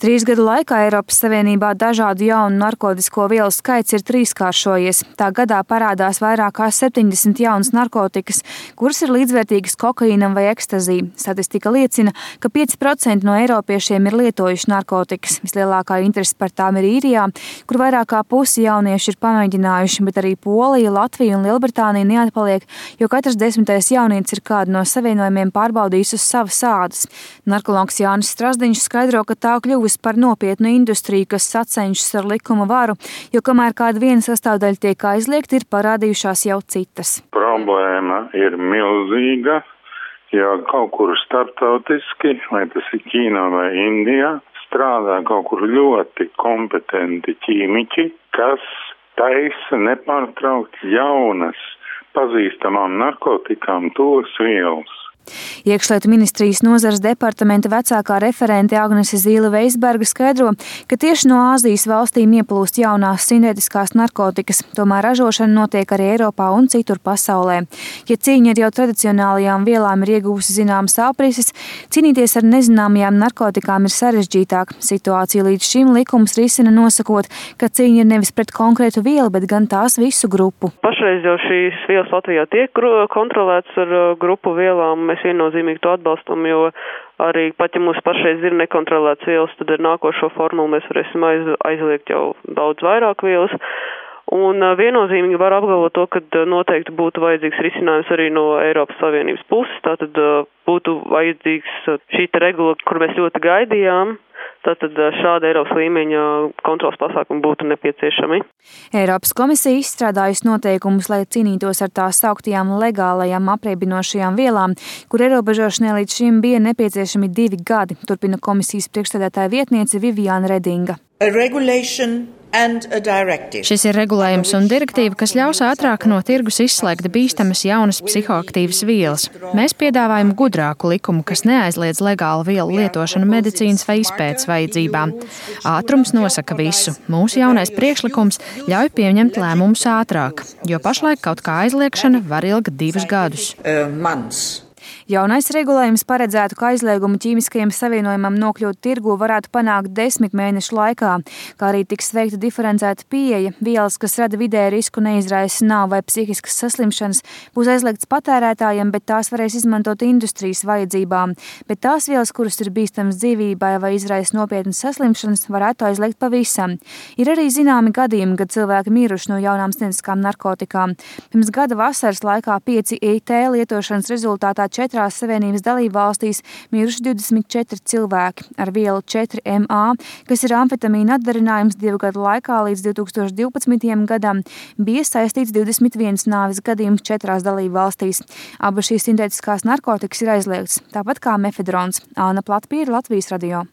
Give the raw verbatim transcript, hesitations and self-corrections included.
Trīs gadu laikā Eiropas Savienībā dažādu jaunu narkotisko vielu skaits ir trīskāršojies. Tā gadā parādās vairāk kā septiņdesmit jaunas narkotikas, kuras ir līdzvērtīgas kokaīnam vai ekstazī. Statistika liecina, ka pieci procenti no eiropiešiem ir lietojuši narkotikas. Vislielākā interese par tām ir Īrijā, kur vairāk kā pusi jaunieši ir pamēģinājuši, bet arī Polija, Latvija un Lielbritānija neatpaliek, jo katrs desmitais jaunietis ir kādu no savienojumiem pārbaudījis uz savas ādas. Narkologs Jānis Strasdiņš skaidro, ka tā kļuvusi par nopietnu industriju, kas sacenšas ar likuma varu, jo kamēr kāda viena sastāvdaļa tiek aizliegta, ir parādījušās jau citas. Problēma ir milzīga, ja kaut kur starptautiski, vai tas ir Ķīnā vai Indijā, strādā kaut kur ļoti kompetenti ķīmiķi, kas taisa nepārtraukt jaunas, pazīstamām narkotikām tos vielas. Iekšlietu ministrijas nozares departamenta vecākā referente Agnese Zīle-Veisberga skaidro, ka tieši no Āzijas valstīm ieplūst jaunās sintētiskās narkotikas, tomēr ražošana notiek arī Eiropā un citur pasaulē. Ja cīņa ar jau tradicionālajām vielām ir iegūsi zināmas aprises, cīnīties ar nezināmajām narkotikām ir sarežģītāk. Situāciju līdz šim likums risina nosakot, ka cīņa ir nevis pret konkrētu vielu, bet gan tās visu grupu. Pašreiz jau šīs vielas Latvijā tiek kontrolētas ar grupu vielām. Mēs viennozīmīgi to atbalstam, jo arī pat, ja mums pašreiz ir nekontrolēts vielas, tad ar nākošo formulu mēs varēsim aiz, aizliegt jau daudz vairāk vielas. Un viennozīmīgi var apgalvot to, ka noteikti būtu vajadzīgs risinājums arī no Eiropas Savienības puses. Tātad būtu vajadzīgs šī regula, kur mēs ļoti gaidījām. Tātad šāda Eiropas līmeņa kontrols pasākumi būtu nepieciešami. Eiropas komisija izstrādājusi noteikumus, lai cīnītos ar tās sauktajām legālajām apriebinošajām vielām, kur ierobežošanai līdz šim bija nepieciešami divi gadi, turpina komisijas priekšsēdētāja vietniece Viviāna Redinga. Šis ir regulējums un direktīva, kas ļaus ātrāk no tirgus izslēgt bīstamas jaunas psihoaktīvas vielas. Mēs piedāvājam gudrāku likumu, kas neaizliedz legālu vielu lietošanu medicīnas vai izpētes vajadzībām. Ātrums nosaka visu. Mūsu jaunais priekšlikums ļauj pieņemt lēmumus ātrāk, jo pašlaik kaut kā aizliegšana var ilgt divus gadus. Jaunais regulējums paredzētu, ka aizliegumu ķīmiskajam savienojumam nokļūt tirgū varētu panākt desmit mēnešu laikā, kā arī tiks veikta diferencēta pieeja. Vielas, kas rada vidēju risku, neizraisa nāvi vai psihiskas saslimšanas, būs aizliegts patērētājiem, bet tās varēs izmantot industrijas vajadzībām. Bet tās vielas, kuras ir bīstamas dzīvībai vai izraisa nopietnas saslimšanas, varētu aizliegt pavisam. Ir arī zināmi gadījumi, kad cilvēki miruši no jaunām sintētiskām narkotikām. Pirms gada vasaras laikā pieci I T lietošanas rezultātā četrās Savienības dalību valstīs miruši divdesmit četri cilvēki ar vielu četri M A, kas ir amfetamīna atdarinājums divu gadu laikā līdz divi tūkstoši divpadsmitajam gadam, bija saistīts divdesmit viens nāves gadījums četrās dalību valstīs. Abas šīs sintētiskās narkotikas ir aizliegtas, tāpat kā mefedrons. Āna Platpīra, Latvijas radio.